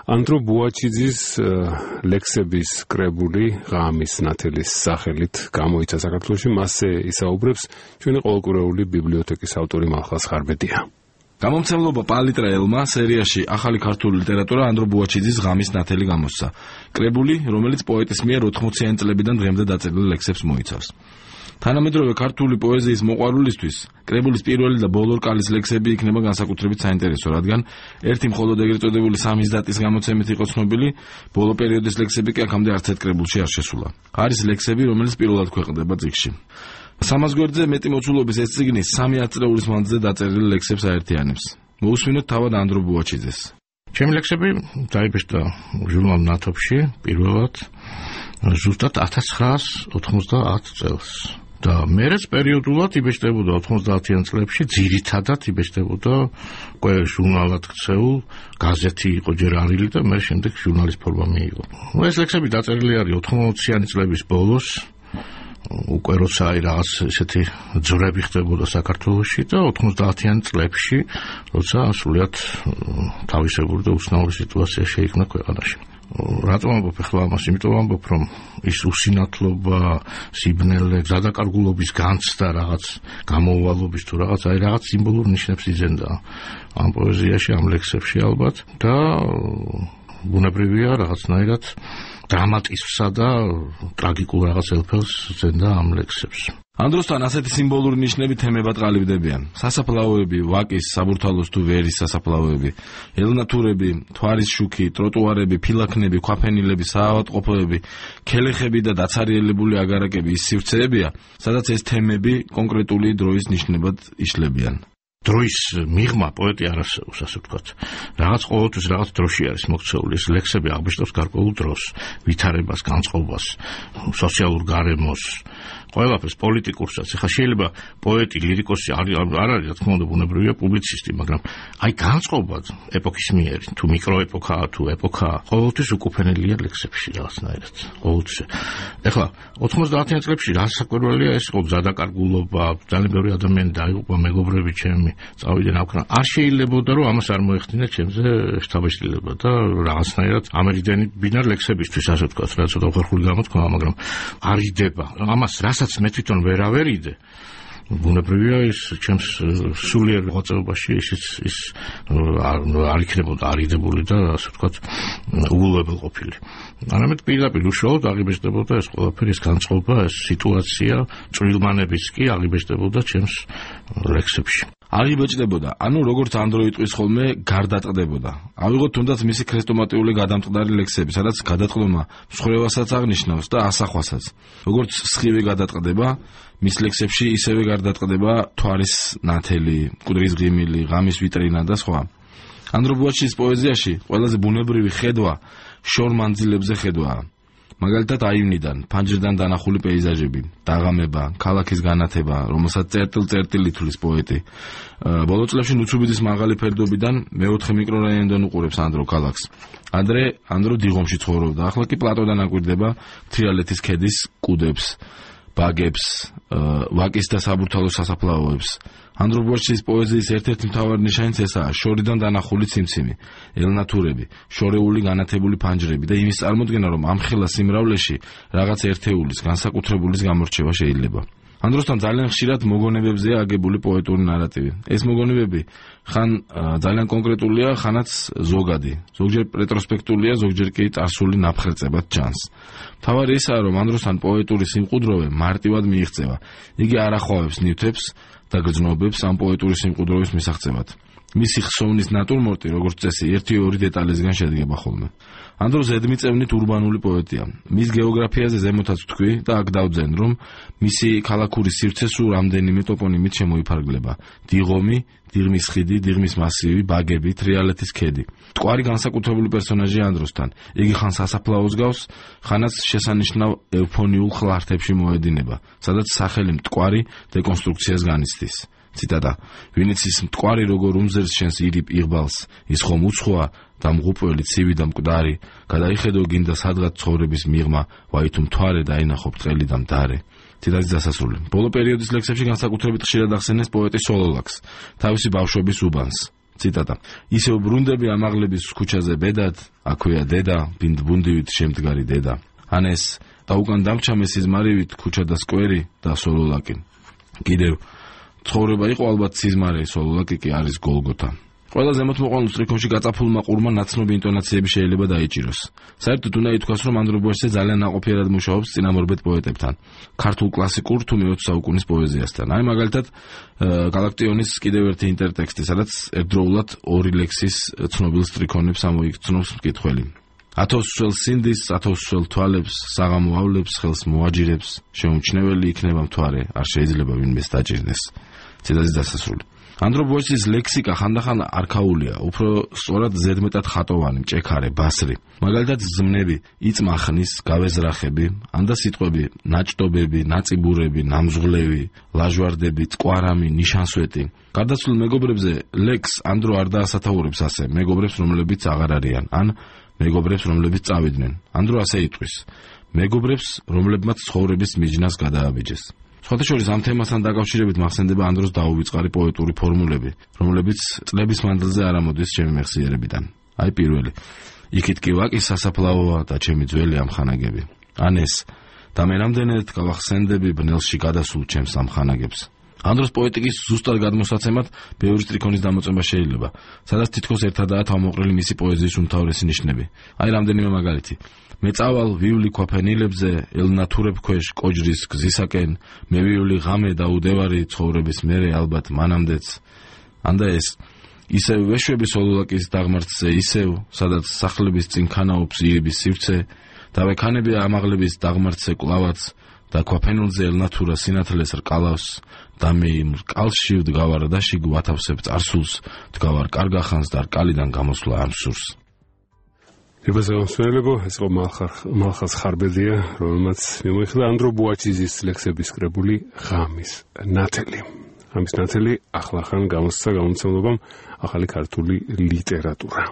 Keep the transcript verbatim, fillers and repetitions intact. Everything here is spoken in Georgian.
ანდრო ბუაჩიძის ლექსების კრებული ღამის ნათელის სახელით გამოიცა საქართველოში, მასზე ისაუბრებს ჩვენი ყოველკვირეული ბიბლიოთეკის ავტორი მალხაზ ხარბედია. გამომცემლობა პალიტრა ელმა სერიაში ახალი ქართული ლიტერატურა ანდრო ბუაჩიძის ღამის ნათელი გამოსცა. კრებული, რომელიც პოეტის მიერ ოთხმოციანი წლებიდან დღემდე დაწერილ ლექსებს მოიცავს. თანამედროვე ქართული პოეზიის მოყვარულისთვის კრებულის პირველი და ბოლო რკალის ლექსები იქნება განსაკუთრებით საინტერესო, რადგან ერთი მხოლოდ ეგრეთ წოდებული სამის დატის გამოცემით იყო ცნობილი, ბოლო პერიოდის ლექსები კი აქამდე არც ერთ კრებულში არ შესულა. არის ლექსები, რომელიც პირველად ქვეყნდება წიგნში. სამას გვერდზე მეტი მოცულობის ეს წიგნი სამი ათწლეულის მანძილზე დაწერილი ლექსებს აერთიანებს. მოусმინოთ თავად ანდრო ბუაჩიძეს. ჩემი ლექსები დაიბეჭდა ჟურნალ ნათოფში პირველად ზუსტად ათას ცხრაას ოთხმოცდაათ წელს. და მერეც პერიოდულად იბეჭდებოდა ოთხმოცდაათიან წლებში, ძირითადად იბეჭდებოდა ყველა ჟურნალად ქცეულ გაზეთი იყო ჯერ არილი და მე შემდეგ ჟურნალის ფორმა მიიღო. ეს ლექსები დაწერილი არის ოთხმოციანი წლების ბოლოს, უკვე როცა აი რაღაც ესეთი ძვრები ხდებოდა საქართველოში და ოთხმოცდაათიან წლებში, როცა სრულიად თავისებური და უცნაური სიტუაცია შეიქმნა ქვეყანაში. რატომ ამბობ ახლა ამას? იმიტომ ამბობ, რომ ის უსინათლობა, სიბნელე, გზადაკარგულობის განცდა, რაღაც გამოვვალობის თუ რაღაც, აი რაღაც სიმბოლურ ნიშნებს იზენდა ამ პოეზიაში, ამ ლექსებში ალბათ და ბუნებრივია რაღაცნაირად დრამატიზმსა და ტრაგიკულ რაღაც ელფელს ზენდა ამ ლექსებს. ანდროსთან ასეთი სიმბოლური ნიშნები თემებად ყალიბდებიან. სასაფლაოები, ვაკის, საბურთალოს თუ ვერის სასაფლაოები, ელნათურები, თვარის შუქი, ტროტუარები, ფილაქნები, ქვაფენილები, საავადმყოფოები, ქელეხები და დაცარიელებული აგარაკები ის სივრცეებია, სადაც ეს თემები კონკრეტული დროის ნიშნებად იშლებიან. დროის მიღმა პოეტი არ არსებობს, ასე ვთქვათ. რაღაც ყოველთვის რაღაც დროში არის მოქცეული. ეს ლექსები აღბეჭდავს გარკვეულ დროს, ვითარებას, განწყობას, სოციალურ გარემოს, ყველაფერს პოლიტიკურსაც. ეხლა შეიძლება პოეტი, ლირიკოსი არ არის, რა თქმა უნდა, ბუნებრივია პუბლიცისტი, მაგრამ აი განწყობა ეპოქის მიერი, თუ მიკროეპოქაა, თუ ეპოქაა, ყოველთვის უკუპენელია ლექსებში რაღაცნაირად. ყოველთვის. ეხლა ოთხმოცდაათიან წლებში რა საკურველია ეს იყო გზადაკარგულობა, ძალიან ბევრი ადამიანი დაიღუპა, მეგობრები ჩემი წავიდნენ აქ. არ შეიძლებოდა რომ ამას არ მოეხდინა ჩემზე შთაბეჭდილება და რაღაცნაირად ამერიდენი ბინარ ლექსებისთვის, ასე ვთქვათ, რა ცოტა ხერხული გამოთქვა, მაგრამ არ იდება. ამას რასაც მე თვითონ ვერავერიდე, ბუნებრივია ის ჩემს სულიერ მოღვაწეობაში ისიც ის არ იქნებოდა არიდებული და ასე ვთქვათ უულებელყოფილი. არამედ პირდაპირ უშუალოდ აღიბეჭდებოდა ეს ყველაფერი, ეს განწყობა, ეს სიტუაცია, წვრილმანებიც კი აღიბეჭდებოდა ჩემს ლექსებში. აღიბეჭდებოდა, ანუ როგორც ანდრო იტყვის ხოლმე, გარდატყდებოდა. ავიღოთ თუნდაც მისი ქრესტომატიული გადამტყდარი ლექსები, სადაც გადატყდომა მსხვერპლსაც აღნიშნავს და ასახვასაც. როგორც სხივი გადატყდება, მის ლექსებში ისევე გარდატყდება თვარის ნათელი, მკვდრის ღიმილი, ღამის ვიტრინა და სხვა. ანდრო ბუაჩიძის პოეზიაში ყველაზე ბუნებრივი ხედვა შორ მანძილებზე ხედვაა. მაგალითად აივნიდან, ფანჯრიდან დანახული პეიზაჟები, დაღამება, ქალაქის განათება, რომელსაც წერტილ-წერტილ ითვლის პოეტი. ბოლო წლებში ნუცუბიძის მაღალი ფერდობიდან მეოთხე მიკრორაიონიდან უყურებს ანდრო ქალაქს. ადრე ანდრო დიღომში ცხოვრობდა, ახლა კი პლატოდან აკვირდება თრიალეთის ქედის კუდებს, ბაგებს, ვაკის და საბურთალოს სასაფლაოებს. ანდრო ბუაჩიძის პოეზიის ერთ-ერთი მთავარი ნიშანიც ესაა შორიდან დანახული ციმციმი, ელნათურები, შორეული განათებული ფანჯრები და იმის წარმოდგენა, რომ ამ ხელა სიმრავლეში რაღაც ერთეულის, განსაკუთრებულის გამორჩევა შეიძლება. ანდროსთან ძალიან ხშირად მოგონებებზეა აგებული პოეტური ნარატივი. ეს მოგონებები ხან ძალიან კონკრეტულია, ხანაც ზოგადი. ზოგჯერ რეტროსპექტულია, ზოგჯერ კი წარსული ნაფხერწებად ჩანს. მთავარი ისაა, რომ ანდროსთან პოეტური სიმყუდროვე მარტივად მიიღწევა. იგი არ ახვავებს ნივთებს და გრძნობებს ამ პოეტური სიმყუდროვის მისაღწევად. მისი ხსოვნის ნატურმორტი, როგორც წესი, ერთი-ორი დეტალისგან შედგება ხოლმე. ანდრო ზედმიწევნით ურბანული პოეტია. მის გეოგრაფიაზე ზემოთაც ვთქვი და აქ დავძენ, რომ მისი ქალაქური სივრცე სულ რამდენიმე ტოპონიმით შემოიფარგლება. დიღომი, დიღმის ხიდი, დიღმის მასივი, ბაგები, თრიალეთის ქედი. მტკვარი განსაკუთრებული პერსონაჟია ანდროსთან. იგი ხან სასაფლაოს გავს, ხანაც შესანიშნავ ევფონიულ ხლართებში მოედინება, სადაც სახელი მტკვარი დეკონსტრუქციას განიცდის. ციტატა: ვინც ის მტკვარი როგორ უმზერს შენს ირიბ იღბალს, ის ხომ უცხოა და მღუპველი ცივი და მკვდარი, გადაიხედო გინდა სადღაც ცხოვრების მიღმა, ვაი თუ მთვარე დაინახო ბრტყელი და მდარე. ციტატის დასასრული. ბოლო პერიოდის ლექსებში განსაკუთრებით ხშირად ახსენეს პოეტის სოლოლაკს, თავისი ბავშვობის უბანს. ციტატა. ისევ ბრუნდები ამაღლების ქუჩაზე ბედად, აქვეა დედა, ბინდბუნდივით შემდგარი დედა. ან ეს დაუკან დამჩამე სიზმარივით ქუჩა და სკვერი და სოლოლაკი. კიდევ ცხოვრება იყო ალბათ სიზმარე, სოლოლაკი კი არის გოლგოთა. ყველა ზემოთმოყვანილ სტრიქონში გაწაფულმა ყურმა ნაცნობი ინტონაციები შეიძლება დაიჭიროს. საერთოდ უნდა ითქვას, რომ ანდრობოეშზე ძალიან ნაყოფიერად მუშაობს წინამორბედ პოეტებთან, ქართულ კლასიკურ თუ მეოცე საუკუნის პოეზიასთან. აი მაგალითად გალაქტიონის კიდევ ერთი ინტერტექსტი, სადაც ერთდროულად ორი ლექსის ცნობილ სტრიქონებს ამოიქცნობს მკითხველი. ათოსსველ სინდის, ათოსსველ თვალებს, საღამო ავლებს, ხელს მოაჯირებს, შეუმჩნეველი იქნება მთვარე, არ შეიძლება ვინმეს დაჭირდეს. ციტატის დასასრული. ანდრობოეშის ლექსიკა ხანდახან არქაულია, უფრო სწორად ზედმეტად ხატოვანი, მჭექარე, ბასრი. მაგალითად ზმნები, იწმახნის, გავეზრახები, ანდა სიტყვები, ნაჭდობები, ნაწიბურები, ნამზღლევი, ლაჟვარდები, წკვარამი, ნიშანსვეტი. გარდაცვლილ მეგობრებზე ლექს ანდრო არ დაასათაურებს ასე, მეგობრებს, რომლებიც აღარ არიან, ან მეგობრებს, რომლებიც წავიდნენ. ანდრო ასე იტყვის: მეგობრებს, რომლებმაც ცხოვრების მიჯნას გადააბიჯეს. სხვათა შორის ამ თემასთან დაკავშირებით მახსენდება ანდროს დაუვიწყარი პოეტური ფორმულები, რომლებიც წლების მანძილზე არ ამოდის ჩემი მეხსიერებიდან. აი პირველი: იქით კი ვაკი სასაფლაოა და ჩემი ძველი ამხანაგები. ან ეს: და მე რამდენად გავახსენდები ბნელში გადასულ ჩემს ამხანაგებს. ანდროს პოეტიკის ზუსტად გადმოსაცემად ბევრი სტრიქონის დამოწმება შეიძლება, სადაც თითქოს ერთადაა თავმოყრილი მისი პოეზიის უმთავრესი ნიშნები. აი რამდენიმე მაგალითი: მე წავალ ვივლი ქვაფენილებზე, ელნათურებ ქვეშ კოჯრის გზისაკენ, მე ვივლი ღამე და უდევარი ცხოვრების მერე ალბათ მანამდეც. ანდა ეს: ისევ ვეშვები სოლოლაკის დაღმართზე, ისევ, სადაც სახლების წინ ქანაობს ირიბის სივრცე, და ვექანები ამაღლების დაღმართზე კლავაც, და ქვაფენილზე ელნათურა სინათლეს რკალავს, და მე იმ რკალში ვდგავარ და შიგ ვათავსებ წარსულს, ვდგავარ კარგახანს და რკალიდან გამოსვლა ამ სურს. ებაზეოსმელებო, ეს იყო მალხაზ ხარბედია, რომელმაც მიმოიხილა ანდრო ბუაჩიზის ლექსების კრებული ღამის ნათელი. ღამის ნათელი ახლახან გამოსცა გამომცემლობამ ახალი ქართული ლიტერატურა.